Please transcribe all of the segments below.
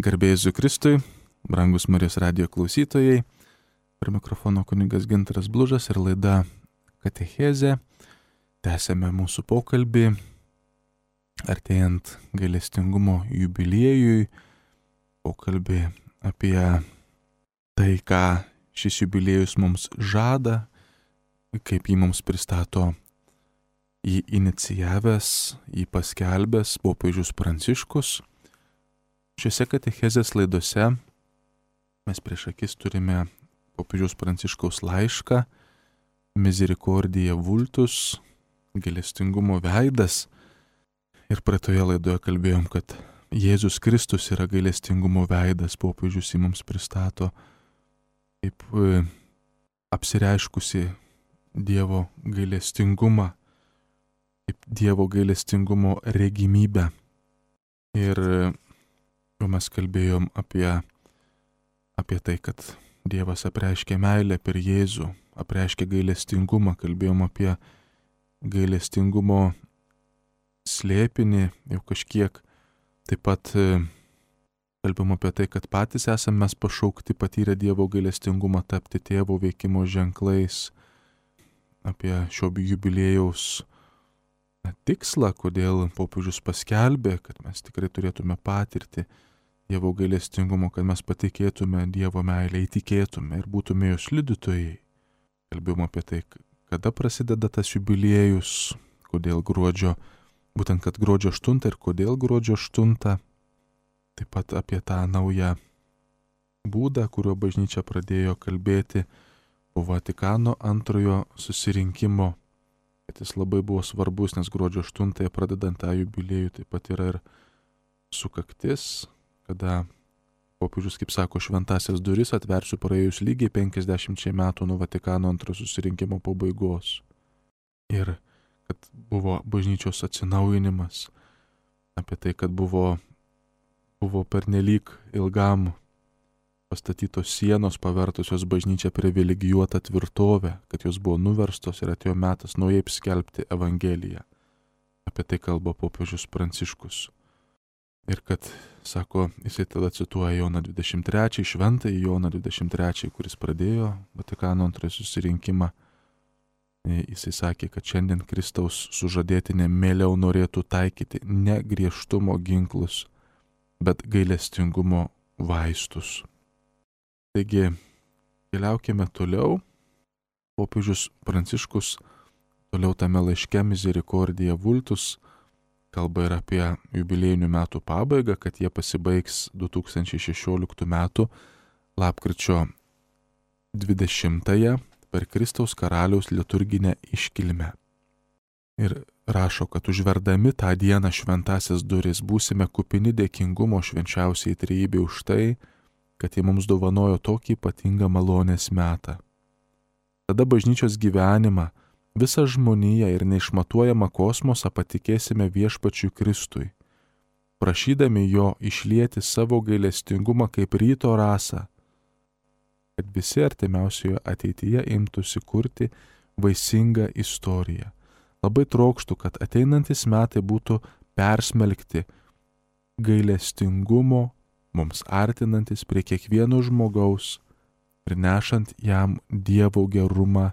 Garbė Jėzui Kristui, brangus Marijos radijo klausytojai, prie mikrofono kunigas Gintaras Blužas ir laida Katechezė. Tęsėme mūsų pokalbį, artėjant gailestingumo jubiliejui, pokalbį apie tai, ką šis jubiliejus mums žada, kaip jį mums pristato jį inicijavęs, jį paskelbęs popiežius Pranciškus. Šiuose katechezės laidose mes prieš akis turime popiežiaus Pranciškaus laišką Misericordiae Vultus, gailestingumo veidas. Ir praeitoje laidoje kalbėjom, kad Jėzus Kristus yra gailestingumo veidas, popiežius jį mums pristato kaip apsireiškusi Dievo gailestingumą, kaip Dievo gailestingumo regimybę. Ir jau mes kalbėjom apie tai, kad Dievas apreiškė meilę per Jėzų, apreiškė gailestingumą, kalbėjom apie gailestingumo slėpinį jau kažkiek. Taip pat kalbėjom apie tai, kad patys esame mes pašaukti patyrę Dievo gailestingumą tapti tėvo veikimo ženklais, apie šio jubiliejaus tikslą, kodėl popiežius paskelbė, kad mes tikrai turėtume patirti Dievo gailestingumo, kad mes patikėtume Dievo meilę, įtikėtume ir būtume jos liudytojai. Kalbėjom apie tai, kada prasideda tas jubiliejus, kodėl būtent kad gruodžio 8 ir kodėl gruodžio 8. Taip pat apie tą naują būdą, kuriuo bažnyčia pradėjo kalbėti po Vatikano antrojo susirinkimo. Kad jis labai buvo svarbus, nes gruodžio 8 pradedant tą jubiliejų taip pat yra ir sukaktis, kada popiežius, kaip sako, šventasias duris atversiu praėjus lygiai 50 metų nuo Vatikano antrojo susirinkimo pabaigos. Ir kad buvo bažnyčios atsinaujinimas, apie tai, kad buvo pernelyg ilgam pastatytos sienos pavertusios bažnyčią privilegijuotą tvirtovę, kad jos buvo nuverstos ir atėjo metas naujai skelbti Evangeliją. Apie tai kalba popiežius Pranciškus. Ir kad, sako, jisai tada cituoja Joną 23, šventąjį Joną 23, kuris pradėjo Vatikano antrojo susirinkimą. Jisai sakė, kad šiandien Kristaus sužadėtinė mieliau norėtų taikyti ne griežtumo ginklus, bet gailestingumo vaistus. Taigi, keliaukime toliau. Popiežius Pranciškus toliau tame laiške Misericordiae Vultus kalba ir apie jubiliejinių metų pabaigą, kad jie pasibaigs 2016 metų lapkričio 20-ąją per Kristaus karaliaus liturginę iškilmę. Ir rašo, kad užverdami tą dieną šventasias duris būsime kupini dėkingumo švenčiausiai trejybei už tai, kad jie mums dovanojo tokį ypatingą malonės metą. Tada bažnyčios gyvenimą, visą žmoniją ir neišmatuojamą kosmosą patikėsime viešpačiui Kristui, prašydami jo išlieti savo gailestingumą kaip ryto rasą, kad visi artimiausioje ateityje imtųsi kurti vaisingą istoriją. Labai trokštų, kad ateinantis metai būtų persmelkti gailestingumo, mums artinantis prie kiekvieno žmogaus ir nešant jam Dievo gerumą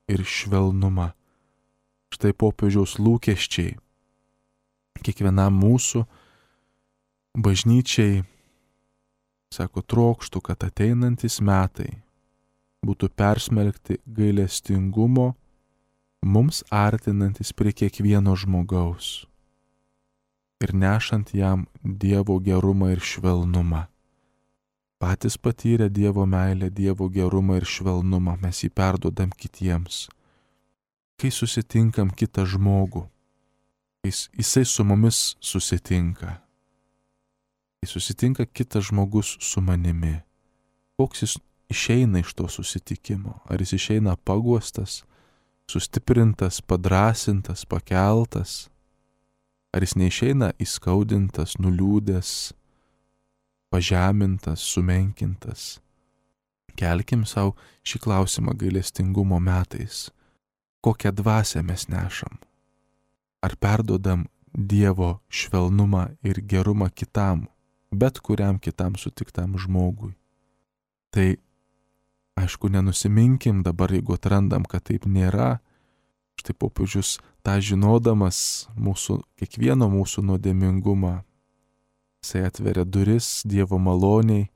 ir švelnumą. Štai popiežiaus lūkesčiai kiekvienam mūsų bažnyčiai, sako, trokštų, kad ateinantis metai būtų persmelkti gailestingumo, mums artinantis prie kiekvieno žmogaus ir nešant jam Dievo gerumą ir švelnumą. Patys patyrę Dievo meilę, Dievo gerumą ir švelnumą, mes jį perduodam kitiems. Kai susitinkam kitą žmogų, jisai su mumis susitinka. Kai susitinka kitas žmogus su manimi, koks jis išeina iš to susitikimo? Ar jis išeina paguostas, sustiprintas, padrasintas, pakeltas? Ar jis neišeina įskaudintas, nuliūdęs, pažemintas, sumenkintas? Kelkim savo šį klausimą gailestingumo metais. Kokią dvasią mes nešam? Ar perduodam Dievo švelnumą ir gerumą kitam, bet kuriam kitam sutiktam žmogui. Tai aišku, nenusiminkim dabar, jeigu atrandam, kad taip nėra. Štai popiežius tą žinodamas kiekvieno mūsų nuodėmingumą, jisai atveria duris Dievo maloniai,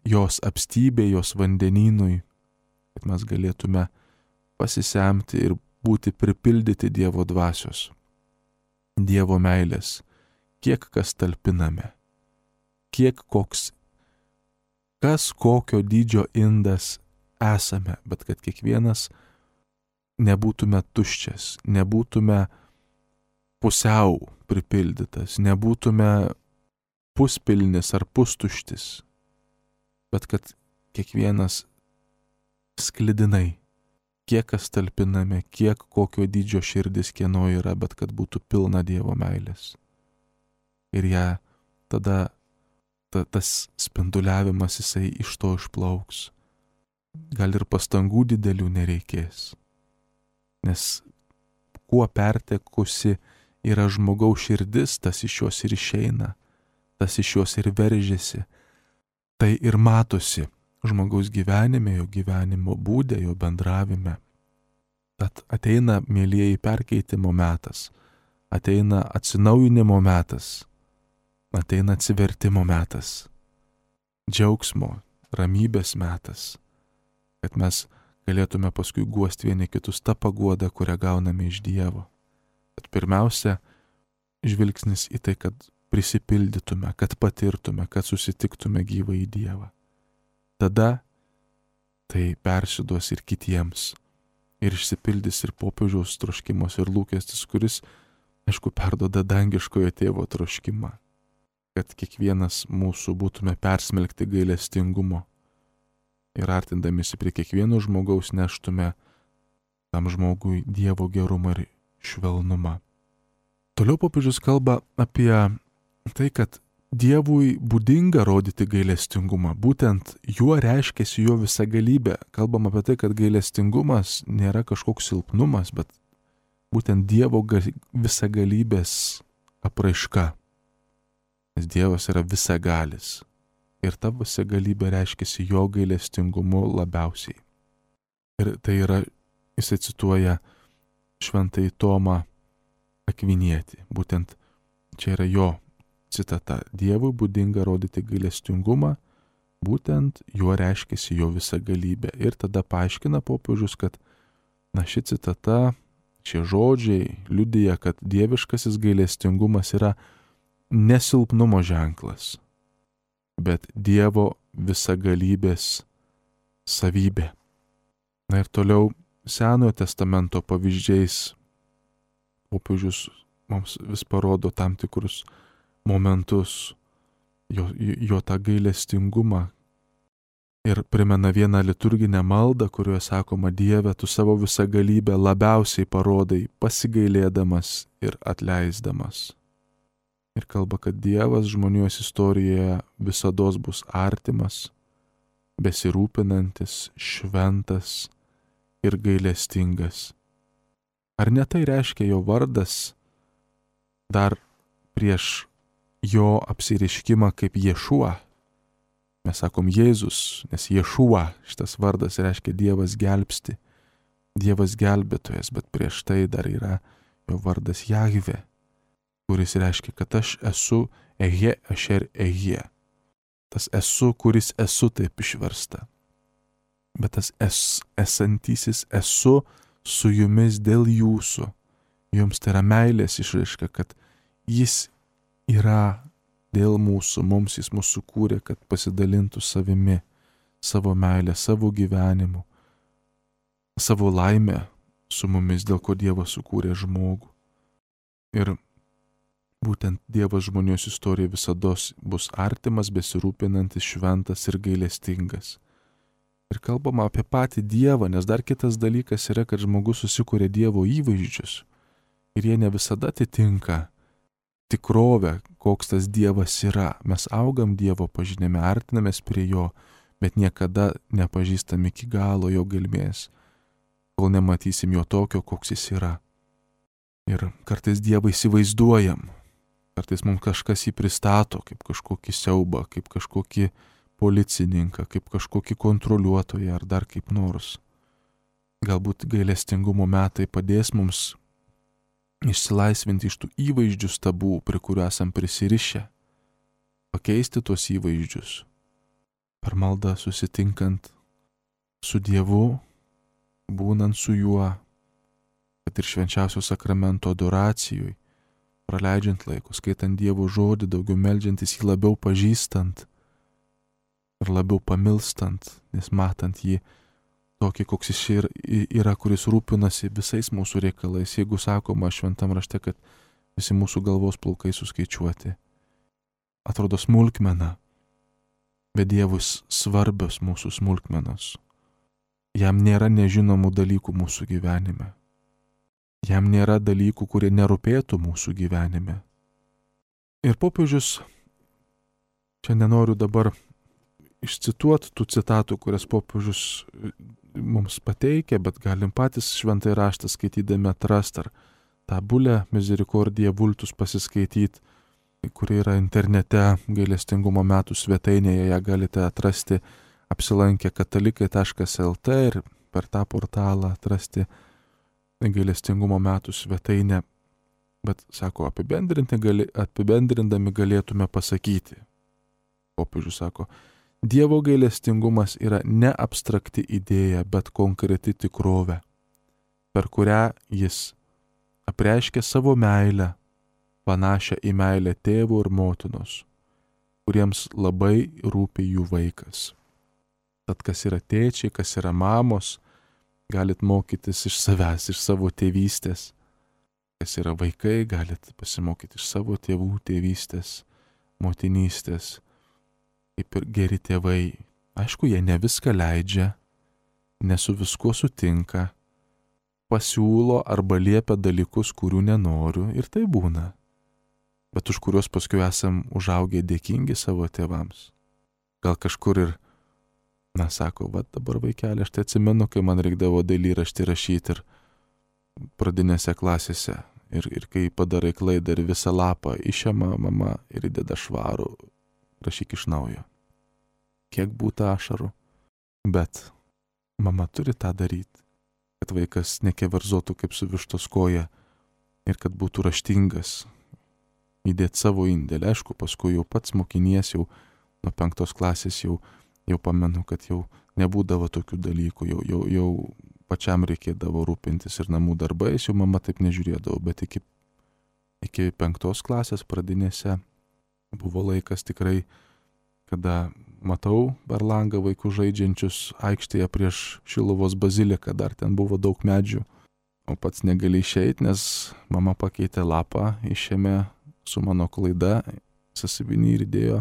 jos apstybė, jos vandenynui, kad mes galėtume pasisemti ir būti pripildyti Dievo dvasios, Dievo meilės, kiek kas talpiname, kas kokio dydžio indas esame, bet kad kiekvienas nebūtume tuščias, nebūtume pusiau pripildytas, nebūtume puspilnis ar pustuštis, bet kad kiekvienas sklidinai, kiek kas talpiname, kiek kokio dydžio širdis kieno yra, bet kad būtų pilna Dievo meilės. Ir ją tada tas spinduliavimas jisai iš to išplauks. Gal ir pastangų didelių nereikės. Nes kuo pertekusi yra žmogaus širdis, tas iš jos ir išeina, tas iš jos ir veržiasi. Tai ir matosi žmogaus gyvenime, jo gyvenimo būde, jo bendravime. Tad ateina, mielieji, perkeitimo metas, ateina atsinaujinimo metas, ateina atsivertimo metas, džiaugsmo, ramybės metas, kad mes galėtume paskui guosti vieni kitus tą paguodą, kurią gauname iš Dievo. Bet pirmiausia, žvilgsnis į tai, kad prisipildytume, kad patirtume, kad susitiktume gyvą į Dievą. Tada tai persiduos ir kitiems. Ir išsipildys ir popiežiaus troškimas ir lūkestis, kuris, aišku, perduoda dangiškojo tėvo troškimą, kad kiekvienas mūsų būtume persmelkti gailestingumo ir artindamisi prie kiekvieno žmogaus neštume tam žmogui Dievo gerumą ir švelnumą. Toliau popiežius kalba apie tai, kad Dievui būdinga rodyti gailestingumą. Būtent juo reiškiasi jo visagalybė. Kalbam apie tai, kad gailestingumas nėra kažkoks silpnumas, bet būtent Dievo visagalybės apraiška. Nes Dievas yra visagalis. Ir ta visagalybė reiškiasi jo gailestingumu labiausiai. Ir tai yra, jis cituoja šventąjį Tomą Akvinietį. Būtent čia yra jo citata. Dievui būdinga rodyti gailestingumą, būtent juo reiškiasi jo visagalybė. Ir tada paaiškina popiežius, kad ši citata, šie žodžiai liudija, kad dieviškasis gailestingumas yra nesilpnumo ženklas, bet Dievo visagalybės savybė. Ir toliau Senojo testamento pavyzdžiais popiežius mums vis parodo tam tikrus momentus, jo tą gailestingumą ir primena vieną liturginę maldą, kurioje sakoma: Dieve, tu savo visagalybę labiausiai parodai, pasigailėdamas ir atleisdamas. Ir kalba, kad Dievas žmonijos istorijoje visados bus artimas, besirūpinantis, šventas ir gailestingas. Ar ne tai reiškia jo vardas dar prieš jo apsireiškimą kaip Ješua? Mes sakom Jėzus, nes Ješua, šitas vardas reiškia Dievas gelbsti, Dievas gelbėtojas, bet prieš tai dar yra jo vardas Jahve, kuris reiškia, kad aš esu Ehe Asher Ehe. Tas esu, kuris esu, taip išversta. Bet tas esantysis esu su jumis dėl jūsų. Jums tai yra meilės išraiška, kad jis yra dėl mūsų, mums jis mūsų kūrė, kad pasidalintų savimi, savo meilę, savo gyvenimu, savo laimę su mumis, dėl ko Dievas sukūrė žmogų. Ir būtent Dievas žmonijos istorija visados bus artimas, besirūpinantis, šventas ir gailestingas. Ir kalbama apie patį Dievą, nes dar kitas dalykas yra, kad žmogus susikūrė Dievo įvaizdžius ir jie ne visada atitinka tikrovę, koks tas Dievas yra. Mes augam Dievo pažinime, artinamės prie jo, bet niekada nepažįstam iki galo jo gelmės, kol nematysim jo tokio, koks jis yra. Ir kartais Dievą įsivaizduojam, Kartais mums kažkas jį pristato kaip kažkokį siaubą, kaip kažkokį policininką, kaip kažkokį kontroliuotoją ar dar kaip nors. Galbūt gailestingumo metai padės mums išsilaisvinti iš tų įvaizdžių stabų, prie kurių esam prisirišę, pakeisti tuos įvaizdžius, per maldą susitinkant su Dievu, būnant su juo, kad ir švenčiausio sakramento adoracijoj, praleidžiant laiko, skaitant Dievo žodį, daugiau meldžiantis jį, labiau pažįstant ir labiau pamilstant, nes matant jį tokį, koks jis yra, kuris rūpinasi visais mūsų reikalais. Jeigu sakoma šventam rašte, kad visi mūsų galvos plaukai suskaičiuoti, atrodo smulkmena, bet Dievui svarbios mūsų smulkmenos. Jam nėra nežinomų dalykų mūsų gyvenime. Jam nėra dalykų, kurie nerūpėtų mūsų gyvenime. Ir popiežius, čia nenoriu dabar išcituoti tų citatų, kurias popiežius mums pateikia, bet galim patys šventąjį raštą skaitydami atrasti, ar tą bulę Misericordiae Vultus pasiskaityti, kuri yra internete gailestingumo metų svetainėje, ją galite atrasti apsilankę katalikai.lt ir per tą portalą atrasti gailestingumo metų svetainę. Bet, sako, apibendrindami galėtume pasakyti. Popiežius sako, Dievo gailestingumas yra ne abstrakti idėja, bet konkreti tikrovė, per kurią jis apreiškia savo meilę, panašią į meilę tėvo ir motinos, kuriems labai rūpi jų vaikas. Tad kas yra tėčiai, kas yra mamos, galit mokytis iš savęs, iš savo tėvystės. Kas yra vaikai, galit pasimokyti iš savo tėvų tėvystės, motinystės. Kaip ir geri tėvai. Aišku, jie ne viską leidžia, ne su viskuo sutinka, pasiūlo arba liepia dalykus, kurių nenoriu, ir tai būna. Bet už kuriuos paskui esam užaugę dėkingi savo tėvams. Gal kažkur ir, sako, dabar vaikelė, aš tai atsimenu, kai man reikdavo dailyraštį rašyti ir pradinėse klasėse. Ir kai padarai klaidą ir visą lapą išema mama ir įdeda švarų, rašyk iš naujo. Kiek būtų ašarų. Bet mama turi tą daryti, kad vaikas nekeverzotų kaip su vištos koja ir kad būtų raštingas, įdėti savo indėlį. Aišku, paskui jau pats mokinies, jau nuo 5 klasės jau pamenu, kad jau nebūdavo tokių dalykų, jau pačiam reikėdavo rūpintis ir namų darbais, jau mama taip nežiūrėdavo, bet iki 5 klasės pradinėse buvo laikas tikrai, kada matau per langą vaikus žaidžiančius aikštėje prieš Šiluvos baziliką, dar ten buvo daug medžių, o pats negali išeiti, nes mama pakeitė lapą, išėmė su mano klaida, sąsiuvinį ir įdėjo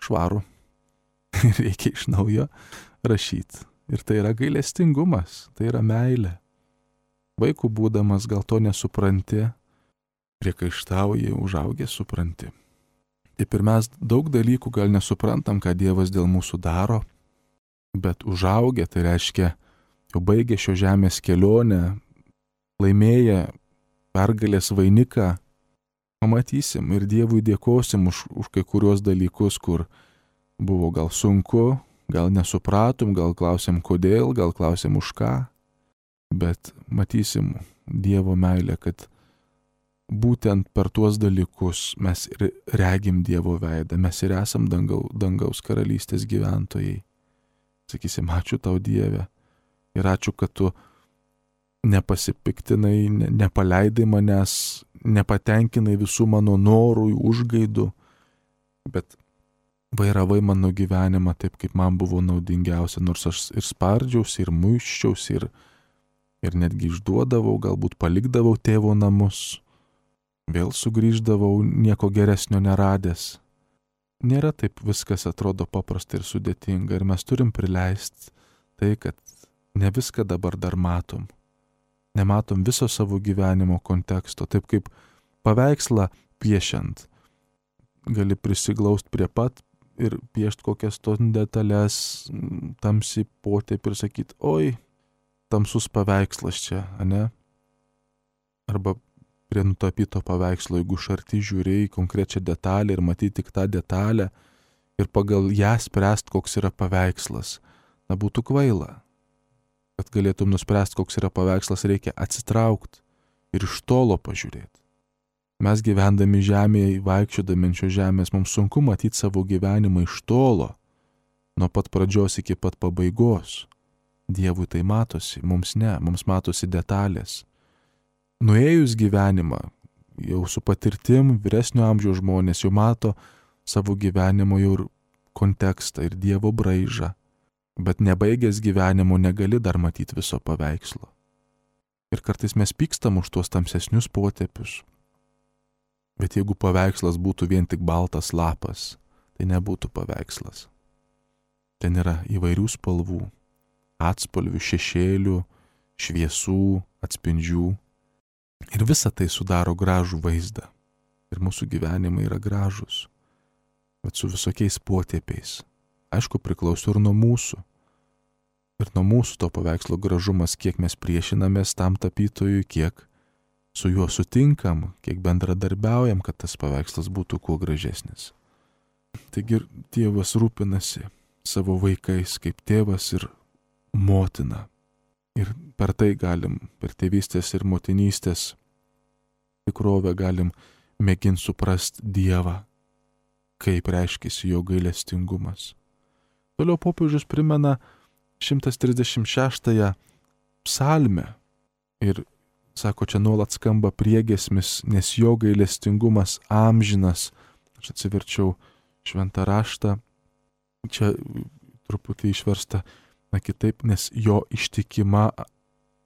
švarų. Reikia iš naujo rašyti. Ir tai yra gailestingumas, tai yra meilė. Vaikų būdamas gal to nesupranti, priekaištauji, užaugęs supranti. Taip ir mes daug dalykų gal nesuprantam, ką Dievas dėl mūsų daro, bet užaugę, tai reiškia, jau baigę šio žemės kelionę, laimėję pergalės vainiką, pamatysim ir Dievui dėkosim už kai kuriuos dalykus, kur buvo gal sunku, gal nesupratom, gal klausėm kodėl, gal klausėm už ką, bet matysim Dievo meilę, kad būtent per tuos dalykus mes ir regim Dievo veidą, mes ir esam dangaus karalystės gyventojai. Sakysim, ačiū tau Dieve ir ačiū, kad tu nepasipiktinai, nepaleidai manęs, nepatenkinai visų mano norų, užgaidų, bet vairavai mano gyvenimą taip, kaip man buvo naudingiausia, nors aš ir spardžiausi, ir muiščiausi, ir netgi išduodavau, galbūt palikdavau tėvo namus, vėl sugrįždavau nieko geresnio neradęs. Nėra taip viskas atrodo paprasta ir sudėtinga ir mes turim prileisti tai, kad ne viską dabar dar matom. Nematom viso savo gyvenimo konteksto, taip kaip paveikslą piešiant. Gali prisiglaust prie pat ir piešti kokias tos detalės, tamsi potėpį ir sakyti, oi, tamsus paveikslas čia, ane? Arba prie nutapyto paveikslo, jeigu iš arti žiūri į konkrečią detalę ir matyti tik tą detalę ir pagal ją spręst, koks yra paveikslas, būtų kvaila. Kad galėtum nuspręsti, koks yra paveikslas, reikia atsitraukti ir iš tolo pažiūrėti. Mes gyvendami žemėje, vaikščiodami ant šios žemės, mums sunku matyti savo gyvenimą iš tolo, nuo pat pradžios iki pat pabaigos. Dievui tai matosi, mums ne, mums matosi detalės. Nuėjus gyvenimą, jau su patirtim, vyresnio amžiaus žmonės jau mato savo gyvenimo jau ir kontekstą ir Dievo braižą, bet nebaigęs gyvenimo negali dar matyti viso paveikslo. Ir kartais mes pykstam už tuos tamsesnius potėpius. Bet jeigu paveikslas būtų vien tik baltas lapas, tai nebūtų paveikslas. Ten yra įvairių spalvų, atspalvių, šešėlių, šviesų, atspindžių. Ir visa tai sudaro gražų vaizdą. Ir mūsų gyvenimai yra gražus, bet su visokiais potėpiais. Aišku, priklauso ir nuo mūsų. Ir nuo mūsų to paveikslo gražumas, kiek mes priešinamės tam tapytojui, kiek su juo sutinkam, kiek bendradarbiaujam, kad tas paveikslas būtų kuo gražesnis. Taigi Dievas rūpinasi savo vaikais kaip tėvas ir motina. Ir per tai galim, per tėvystės ir motinystės tikrovę galim mėginti suprasti Dievą, kaip reiškiasi jo gailestingumas. Toliau popiežius primena 136 psalmę ir sako, čia nuolat skamba priegiesmis, nes jo gailestingumas amžinas. Aš atsiverčiau šventą raštą, čia truputį išversta, kitaip, nes jo ištikima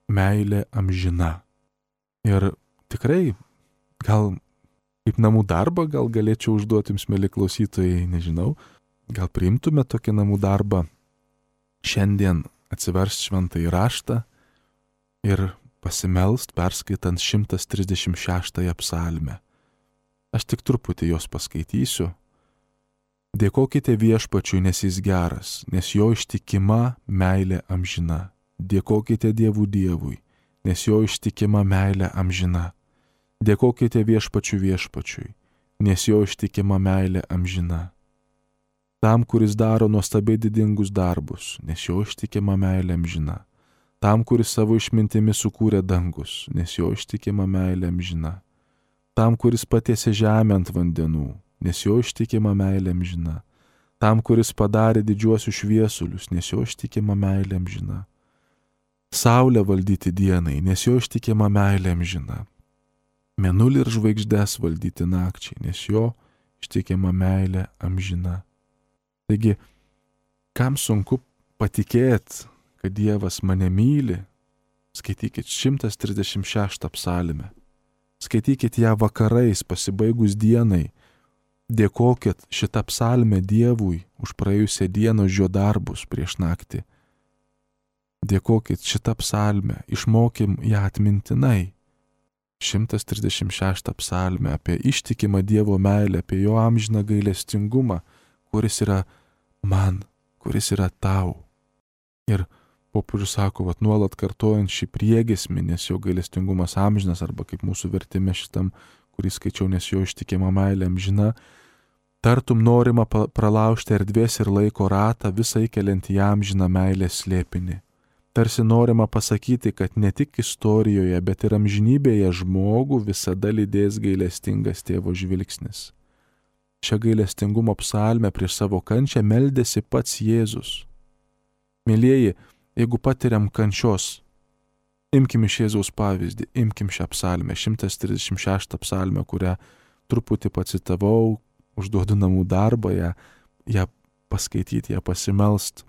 meilė amžina. Ir tikrai, gal kaip namų darbą, gal galėčiau užduoti jums, mėly klausytojai, nežinau, gal priimtume tokį namų darbą, šiandien atsiversti šventąjį raštą ir pasimelst, perskaitant 136 psalmę. Aš tik truputį jos paskaitysiu. Dėkokite Viešpačiui, nes jis geras, nes jo ištikima meilė amžina. Dėkokite Dievui, nes jo ištikima meilė amžina. Dėkokite Viešpačiui, nes jo ištikima meilė amžina. Tam, kuris daro nuostabiai didingus darbus, nes jo ištikima meilė amžina. Tam, kuris savo išmintimi sukūrė dangus, nes jo ištikima meilė amžina. Tam, kuris patiesė žemę ant vandenų, nes jo ištikima meilė amžina. Tam, kuris padarė didžiuosius šviesulius, nes jo ištikima meilė amžina. Saulę valdyti dienai, nes jo ištikima meilė amžina. Mėnulį ir žvaigždes valdyti nakčiai, nes jo ištikima meilė amžina. Taigi, kam sunku patikėti, kad Dievas mane myli, skaitykit 136 psalmę. Skaitykit ją vakarais, pasibaigus dienai. Dėkokit šitą psalmę Dievui už praėjusią dieną, už jo darbus prieš naktį. Dėkokit šitą psalmę, išmokim ją atmintinai. 136 psalmę apie ištikimą Dievo meilę, apie jo amžiną gailestingumą, kuris yra man, kuris yra tau. Ir popiežius sako, nuolat kartojant šį priegiesmį, nes jo gailestingumas amžinas, arba kaip mūsų vertime šitam, kurį skaičiau, nes jo ištikima meilė amžina, tartum norima pralaužti erdvės ir laiko ratą, visai keliant į amžiną meilės slėpinį. Tarsi norima pasakyti, kad ne tik istorijoje, bet ir amžinybėje žmogų visada lydės gailestingas tėvo žvilgsnis. Šią gailestingumo psalmę prieš savo kančią meldėsi pats Jėzus. Mėlieji, jeigu patiriam kančios, imkim iš Jėzaus pavyzdį, imkim šią psalmę, 136 psalmę, kurią truputį pacitavau, užduodu namų darbą, ją paskaityti, ją pasimelst.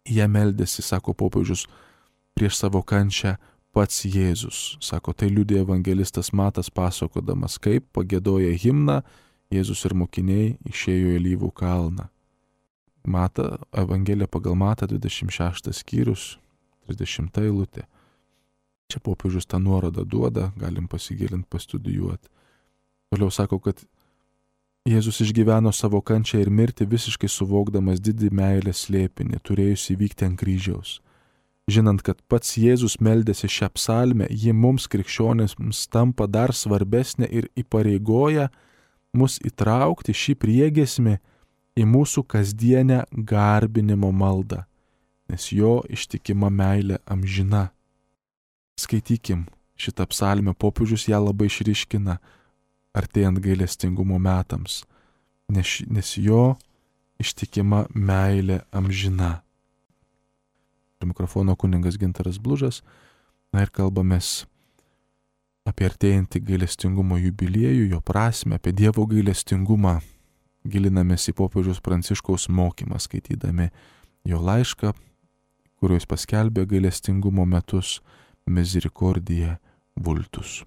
Jie meldėsi, sako popiežius, prieš savo kančią pats Jėzus. Sako, tai liudija evangelistas Matas pasakodamas, kaip pagiedoję himną Jėzus ir mokiniai išėjo į Alyvų kalną. Evangelija pagal Matą 26 skyrius, 30 eilutė. Čia popiežius tą nuorodą duoda, galim pasigilinti, pastudijuoti. Toliau sako, kad Jėzus išgyveno savo kančią ir mirtį visiškai suvokdamas didį meilės slėpinį, turėjusi įvykti ant kryžiaus. Žinant, kad pats Jėzus meldėsi šią psalmę, ji mums krikščionėms tampa dar svarbesnė ir įpareigoja mus įtraukti šį priegiesmį į mūsų kasdienę garbinimo maldą, nes jo ištikima meilė amžina. Skaitykim šitą psalmę, popiežius ją labai išryškina, artėjant gailestingumo metams, nes jo ištikima meilė amžina. Prie mikrofono kunigas Gintaras Blužas, ir kalbamės apie artėjantį gailestingumo jubiliejų, jo prasmę, apie Dievo gailestingumą. Gilinamės į popiežiaus Pranciškaus mokymą, skaitydami jo laišką, kuriuo jis paskelbė gailestingumo metus Misericordiae Vultus.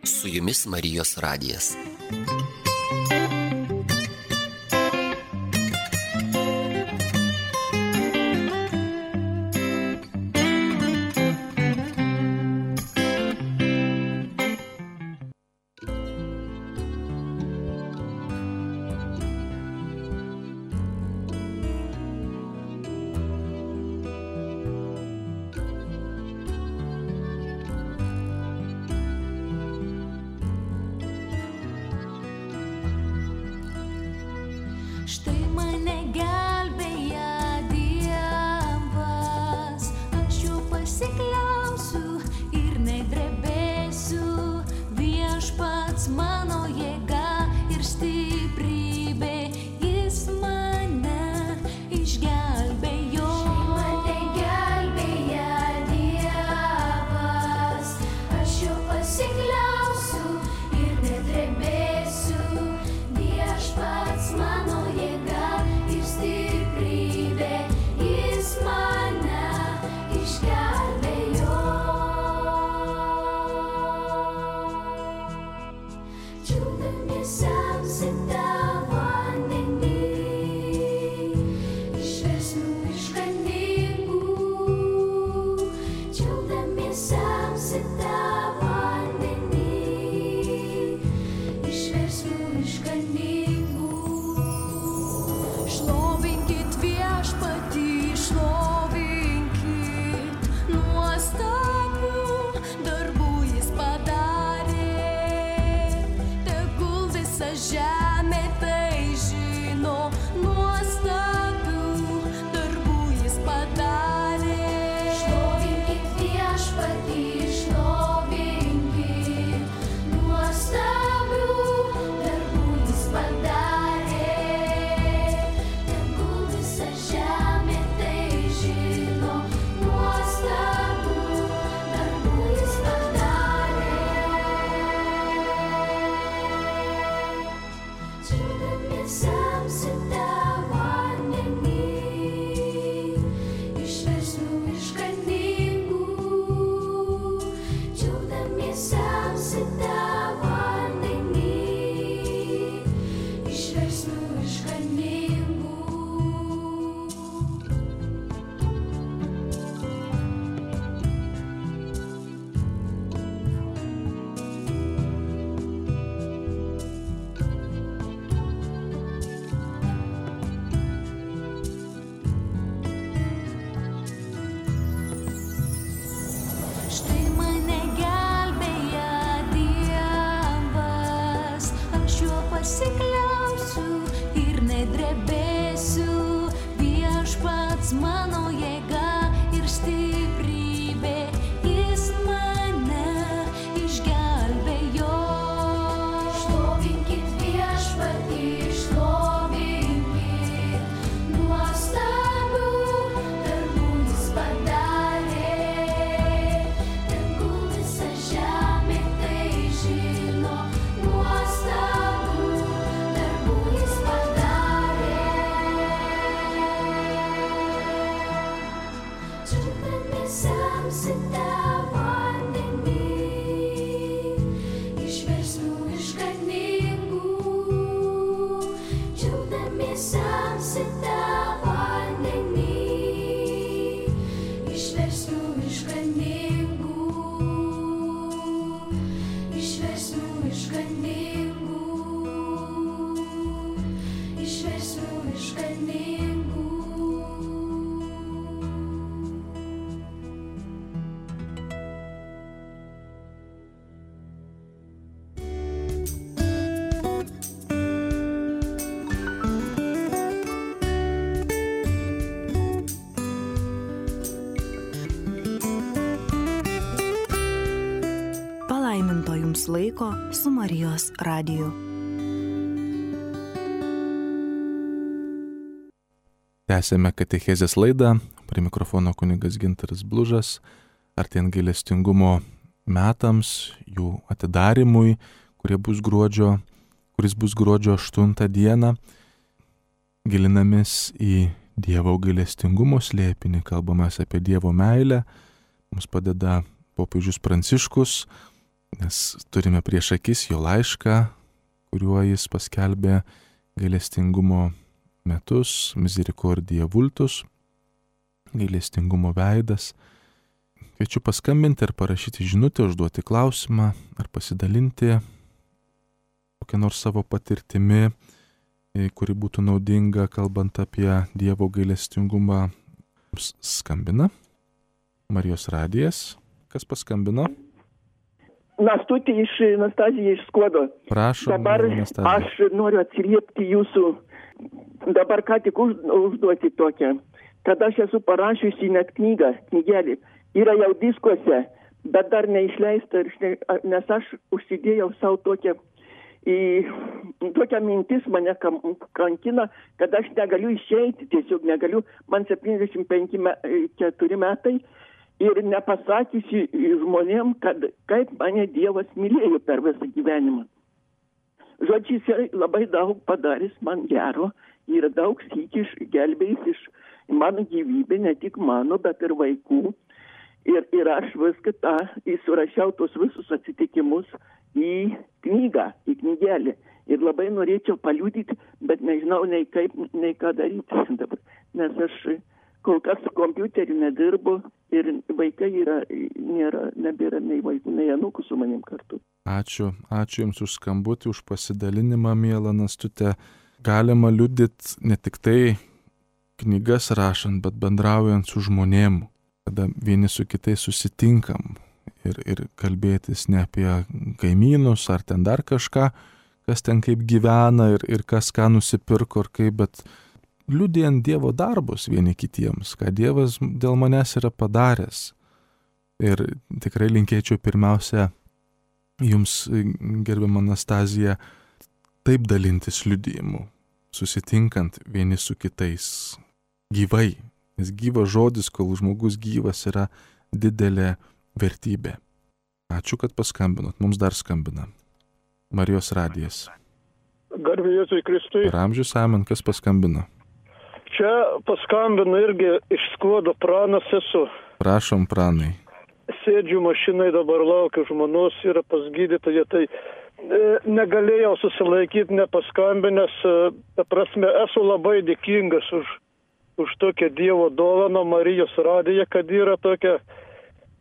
Su jumis Marijos radijas. Štai mane gelbėja Dievas, aš jo pasikliausiu ir nedrebėsiu. Viešpats mano jėga ir stiprybė, jis mane išgelbėjo. Štai mane gelbėja Dievas, aš jo pasikliausiu ir nedrebėsiu. Viešpats mano pasikliausiu ir nedrebėsiu. Viešpats mano jėga ir stiprybė, jis mane išgelbėjo. Šlovinkit viešpatį, šlovinkit, nuostabių darbų jis padarė. Tegul visa žemė tai žino, nuostabių darbų jis padarė. Džiaugdamiesi semsite vandenį iš versmių išganingų. Džiaugdamiesi semsite vandenį iš versmių išganingų. Jums laiko su Marijos radiju. Tęsėme katechezės laidą. Prie mikrofono kunigas Gintaras Blužas. Artėjant gailestingumo metams, jų atidarimui, kuris bus gruodžio 8 dieną, gilinamės į Dievo gailestingumo slėpinį, kalbamės apie Dievo meilę. Mums padeda popiežius Pranciškus, nes turime prieš akis jo laišką, kuriuo jis paskelbė gailestingumo metus, Misericordia Vultus, gailestingumo veidas. Kviečiu paskambinti ar parašyti žinutę, užduoti klausimą ar pasidalinti kokią nors savo patirtimi, kuri būtų naudinga, kalbant apie Dievo gailestingumą. Skambina Marijos radijas. Kas paskambino? Nastutė Anastazija iš Skuodo. Prašom, dabar Anastazija. Aš noriu atsiliepti jūsų, dabar ką tik užduoti tokią, kad aš esu parašiusi net knygelį. Yra jau diskuose, bet dar neišleista, nes aš užsidėjau savo tokią mintis mane kankina, kad aš negaliu išeiti, tiesiog negaliu, man 75 metai ir nepasakysiu žmonėm, kad kaip mane Dievas mylėjo per visą gyvenimą. Žodžiu, jis labai daug padarys man gero ir daug sykių gelbėjęs iš mano gyvybę, ne tik mano, bet ir vaikų. Ir aš viską tą įsurašiau tos visus atsitikimus į knygą, į knygelį. Ir labai norėčiau paliudyti, bet nežinau nei kaip, nei ką daryti dabar. Nes aš kol kas su kompiuteriu nedirbu ir vaikai nebėra nei vaikų, nei anūkų su manim kartu. Ačiū Jums už skambutį, už pasidalinimą, miela Nastutė. Galima liudyti ne tik tai knygas rašant, bet bendraujant su žmonėm, kada vieni su kitais susitinkam ir kalbėtis ne apie kaimynus ar ten dar kažką, kas ten kaip gyvena ir kas ką nusipirko ir kaip, bet liudijant Dievo darbus vieni kitiems, ką Dievas dėl manęs yra padaręs. Ir tikrai linkėčiau pirmiausia Jums, gerbiama Anastazija, taip dalintis liudijimu, susitinkant vieni su kitais gyvai. Nes gyvas žodis, kol žmogus gyvas, yra didelė vertybė. Ačiū, kad paskambinot. Mums dar skambina Marijos radijas. Garbė Jėzui Kristui. Per amžius amen, kas paskambino? Čia paskambino irgi iš Skuodo, Pranas esu. Prašom, Pranai. Sėdžiu mašinai, dabar laukiu žmonos, yra pas gydytoją, tai negalėjau susilaikyti nepaskambinęs. Ta prasme, esu labai dėkingas už tokią Dievo dovaną Marijos radiją, kad yra tokia.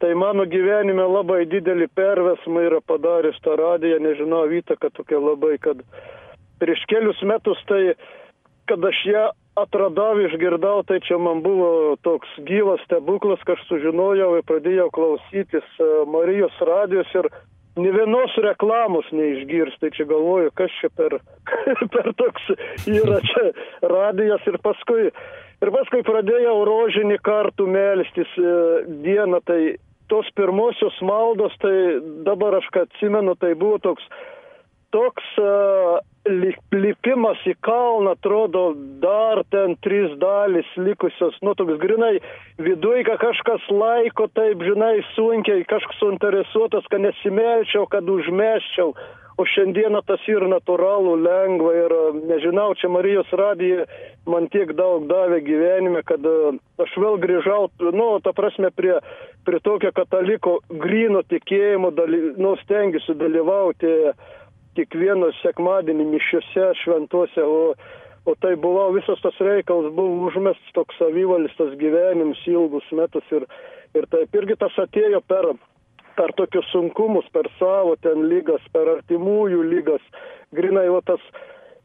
Tai mano gyvenime labai didelį perversmą yra padaręs tą radiją, nežinau, įtaka tokia labai, kad prieš kelius metus, tai kad aš ją atradau, išgirdau, tai čia man buvo toks gyvas stebuklas, kad aš sužinojau ir pradėjau klausytis Marijos radijos ir nė vienos reklamos neišgirs, tai čia galvoju, kas čia per toks yra čia radijas ir paskui pradėjau rožinį kartų melstis dieną, tai tos pirmosios maldos, tai dabar aš ką atsimenu, tai buvo toks lipimas į kalną, atrodo, dar ten 3 dalys likusios, toks grinai viduj, kad kažkas laiko, taip, žinai, sunkiai, kažkas suinteresuotas, kad nesimelčiau, kad užmesčiau, o šiandieną tas yra natūralu, lengva ir nežinau, čia Marijos radija man tiek daug davė gyvenime, kad aš vėl grįžau, ta prasme, prie tokio kataliko gryno tikėjimo, stengiuosi dalyvauti kiekvieno sekmadienį mišiuose, šventuose, o tai buvo visas tas reikalas, buvo užmestas toks savivalstas gyvenims ilgus metus ir taip irgi tas atėjo per tokius sunkumus, per savo ten lygas, per artimųjų lygas. Grinai,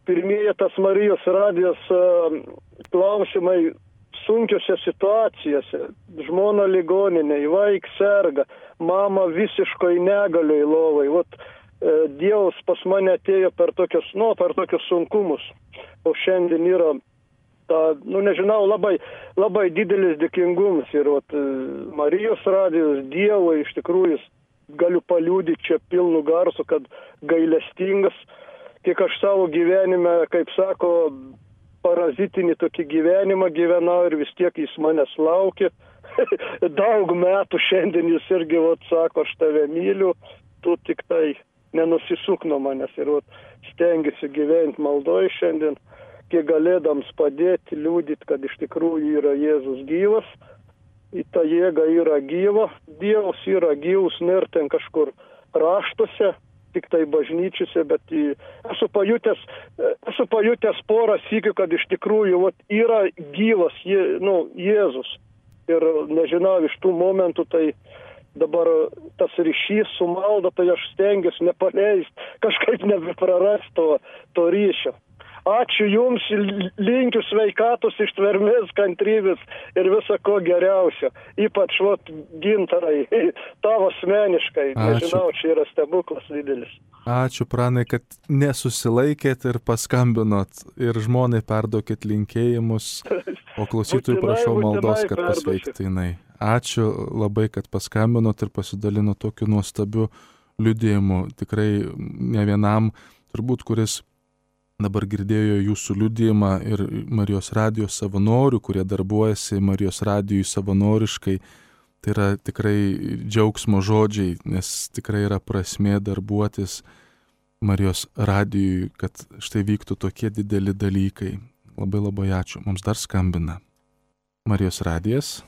pirmieji tas Marijos radijos klausimai sunkiose situacijose, žmona ligoninėje, vaik serga, mama visiškai negalioj lovai, Dievas pas mane atėjo per tokius sunkumus, o šiandien yra nežinau, labai didelis dėkingumas ir Marijos radijos Dievui iš tikrųjų galiu paliudyti čia pilnu garsu, kad gailestingas, kiek aš savo gyvenime, kaip sako, parazitinį tokį gyvenimą gyvenau ir vis tiek jis manęs laukia. Daug metų šiandien jis irgi sako, aš tave myliu, tu tik tai nenusisuk nuo manęs. Ir stengiuosi gyventi maldoj šiandien, kiek galėdams padėti, liūdyti, kad iš tikrųjų yra Jėzus gyvas. Į tą jėgą yra gyva, Dievas yra gyvus, nėra ten kažkur raštuose, tik tai bažnyčiose, bet esu pajutęs porą sykių, kad iš tikrųjų yra gyvas Jėzus. Ir nežinau, iš tų momentų tai dabar tas ryšys su malda, tai aš stengiuosi nepaleisti, kažkaip nebeprarasti to ryšio. Ačiū Jums, linkiu sveikatos, ištvermės, kantrybės ir viso ko geriausio. Ypač Gintarai, tavo asmeniškai. Nežinau, čia yra stebuklas didelis. Ačiū, Pranai, kad nesusilaikėt ir paskambinot. Ir žmonai perduokit linkėjimus, o klausytojų prašau maldos, kad pasveiktų jinai. Ačiū labai, kad paskambinot ir pasidalinot tokiu nuostabiu liudijimu. Tikrai ne vienam, turbūt, kuris dabar girdėjo jūsų liudijimą ir Marijos radijos savanorių, kurie darbuojasi Marijos radijui savanoriškai. Tai yra tikrai džiaugsmo žodžiai, nes tikrai yra prasmė darbuotis Marijos radijui, kad štai vyktų tokie dideli dalykai. Labai labai ačiū. Mums dar skambina Marijos radijas.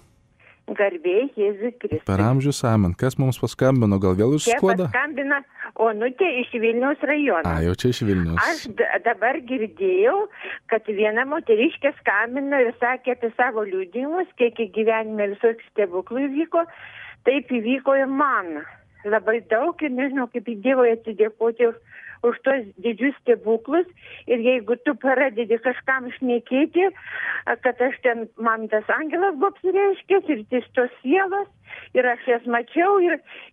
Garbė Jėzui Kristui. Per amžius amen. Kas mums paskambino? Gal vėl iš Skuodo? Čia paskambina Onutė iš Vilniaus rajono. Jau čia iš Vilniaus. Aš dabar girdėjau, kad viena moteriškė skambino ir sakė apie savo liudijimus, kiek į gyvenime visokių stebuklų įvyko. Taip įvyko ir man. Labai daug ir nežinau, kaip į Dievui atsidėkoti už tos didžius stebuklus. Ir jeigu tu pradedi kažkam šnekėti, kad aš ten, man tas angelas buvo apsireiškęs ir tos sielos, ir aš jas mačiau,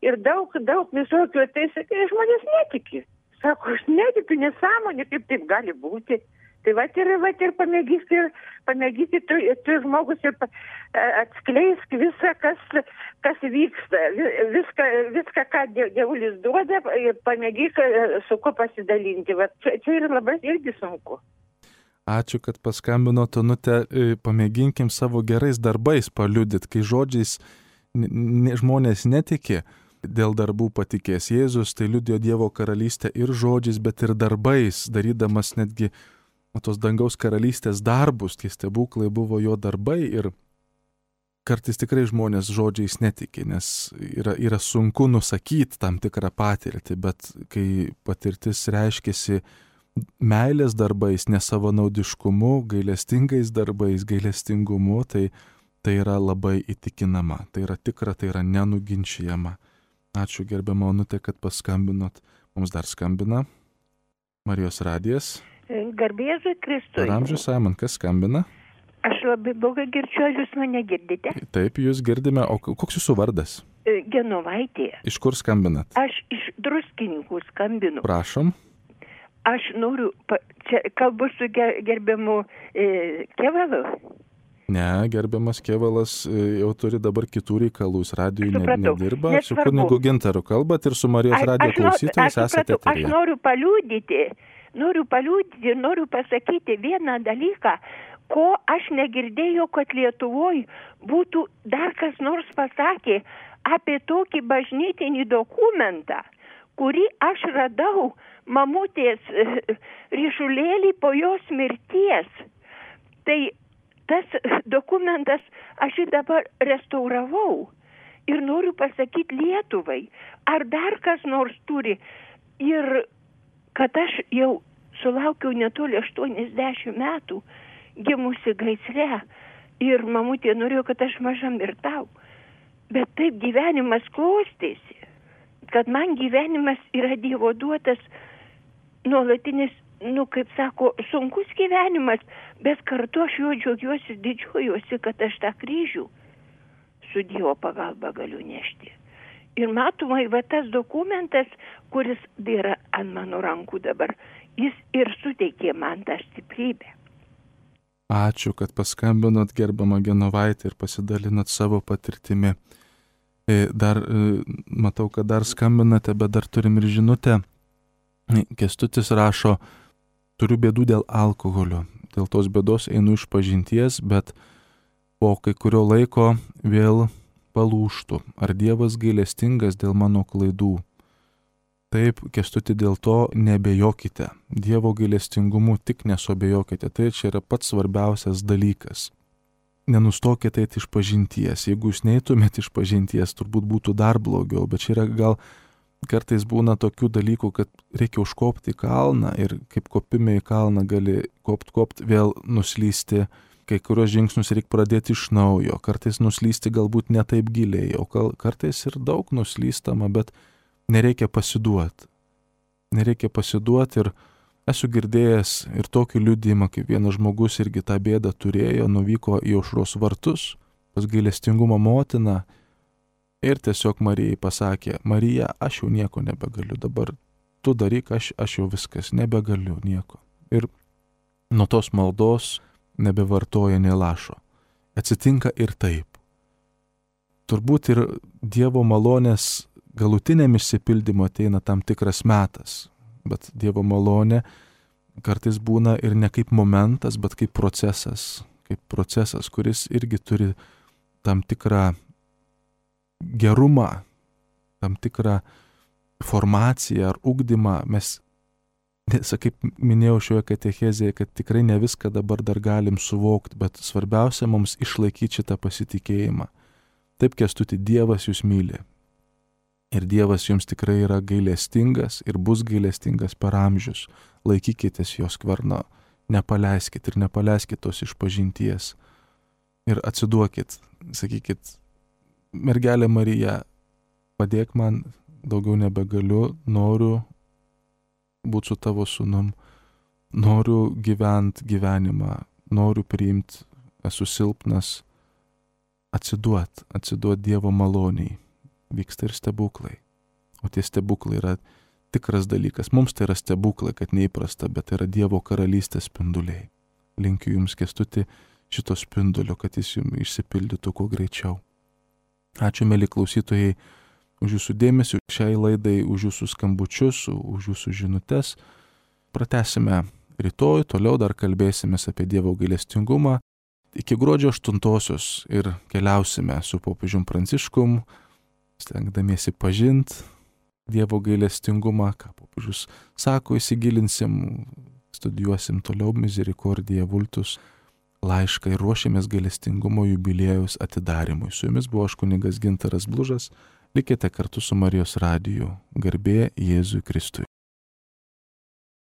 ir daug visokių, tai sakai, žmonės netiki. Sako, aš netikiu, nesąmonė, kaip taip gali būti. Tai ir pamėgyti tu žmogus ir atskleisk visą, kas vyksta, viską, ką Dievulis duoda, ir pamėgyk su ko pasidalinti. Čia yra labai irgi sunku. Ačiū, kad paskambinot, Onutė. Pamėginkim savo gerais darbais paliudyti, kai žodžiais žmonės netiki. Dėl darbų patikės Jėzus, tai liudijo Dievo karalystę ir žodžiais, bet ir darbais, darydamas netgi tos dangaus karalystės darbus. Tie stebuklai buvo jo darbai ir kartais tikrai žmonės žodžiais netiki, nes yra sunku nusakyti tam tikrą patirtį, bet kai patirtis reiškiasi meilės darbais, nesavanaudiškumu, gailestingais darbais, gailestingumu, tai yra labai įtikinama, tai yra tikra, tai yra nenuginčijama. Ačiū gerbiama Onutė, kad paskambinot. Mums dar skambina Marijos radijas. Garbė Jėzui Kristui. Per amžius amen. Kas skambina? Aš labai blogai girdžiu, ar jūs mane girdite? Taip, jūs girdime. O koks jūsų vardas? Genovaitė. Iš kur skambinat? Aš iš Druskininkų skambinu. Prašom. Aš noriu, čia kalbu su gerbiamu Kevalu. Ne, gerbiamas Kevalas jau turi dabar kitų reikalų, jis radijui nedirba. Su kunigu Gintaru kalbat ir su Marijos radijo klausytojais esate eteryje. Aš noriu paliudyti, noriu pasakyti vieną dalyką, ko aš negirdėjau, kad Lietuvoje būtų dar kas nors pasakė apie tokį bažnytinį dokumentą, kurį aš radau mamutės ryšulėlį po jos mirties. Tai tas dokumentas aš jį dabar restauravau ir noriu pasakyti Lietuvai, ar dar kas nors turi. Ir kad aš jau sulaukiau netoli 80 metų, gimusi gaisre, ir mamutė norėjo, kad aš maža mirtau. Bet taip gyvenimas klostėsi, kad man gyvenimas yra Dievo duotas nuolatinis, kaip sako, sunkus gyvenimas, bet kartu aš juo džiaugiuosi, didžiuojuosi, kad aš tą kryžių su Dievo pagalba galiu nešti. Ir matomai, tas dokumentas, kuris yra ant mano rankų dabar, jis ir suteikė man tą stiprybę. Ačiū, kad paskambinot gerbiamą Genovaitę ir pasidalinot savo patirtimi. Dar matau, kad dar skambinate, bet dar turim ir žinutę. Kęstutis rašo, turiu bėdų dėl alkoholio. Dėl tos bėdos einu iš pažinties, bet po kai kurio laiko vėl palūštų. Ar Dievas gailestingas dėl mano klaidų? Taip, Kęstuti, dėl to nebejokite. Dievo gailestingumu tik nesuabejokite. Tai čia yra pats svarbiausias dalykas. Nenustokite eiti iš pažinties. Jeigu jūs neitumėte iš pažinties, turbūt būtų dar blogiau. Bet čia yra gal kartais būna tokių dalykų, kad reikia užkopti į kalną ir kaip kopime į kalną gali kopt, vėl nuslysti. Kai kurios žingsnius reikia pradėti iš naujo. Kartais nuslysti galbūt ne taip giliai, o kartais ir daug nuslystama, bet nereikia pasiduoti. Nereikia pasiduoti ir esu girdėjęs ir tokį liudijimą, kaip vienas žmogus irgi tą bėdą turėjo, nuvyko į Aušros vartus pas gailestingumo motiną ir tiesiog Marijai pasakė, Marija, aš jau nieko nebegaliu, dabar tu daryk, aš jau viskas, nebegaliu nieko. Ir nuo tos maldos nebevartoja nė lašo. Atsitinka ir taip. Turbūt ir Dievo malonės galutiniam išsipildymu ateina tam tikras metas, bet Dievo malonė kartais būna ir ne kaip momentas, bet kaip procesas, kuris irgi turi tam tikrą gerumą, tam tikrą formaciją ar ugdymą. Mes, kaip minėjau šioje katechezėje, kad tikrai ne viską dabar dar galim suvokti, bet svarbiausia mums išlaikyti šitą pasitikėjimą. Taip, Kęstuti, Dievas jūs myli. Ir Dievas jums tikrai yra gailestingas ir bus gailestingas per amžius. Laikykitės jo skverno, nepaleiskit ir nepaleiskit tos išpažinties. Ir atsiduokit, sakykit, mergelė Marija, padėk man, daugiau nebegaliu, noriu būti su tavo sūnum, noriu gyventi gyvenimą, noriu priimti, esu silpnas, atsiduot Dievo maloniai. Vyksta ir stebuklai. O tie stebuklai yra tikras dalykas. Mums tai yra stebuklai, kad neįprasta, bet tai yra Dievo karalystės spinduliai. Linkiu jums, Kęstuti, šito spindulio, kad jis jums išsipildytų kuo greičiau. Ačiū, mėly klausytojai, už jūsų dėmesį šiai laidai, už jūsų skambučius, už jūsų žinutes. Pratęsime rytoj, toliau dar kalbėsime apie Dievo gailestingumą. Iki gruodžio 8-osios ir keliausime su popiežium Pranciškum, stengdamiesi pažinti Dievo gailestingumą, ką popiežius sako, įsigilinsim, studijuosim toliau Misericordiae Vultus laišką ir ruošėmės gailestingumo jubiliejaus atidarimui. Su jumis buvo aš kunigas Gintaras Blužas. Likite kartu su Marijos radiju. Garbė Jėzui Kristui.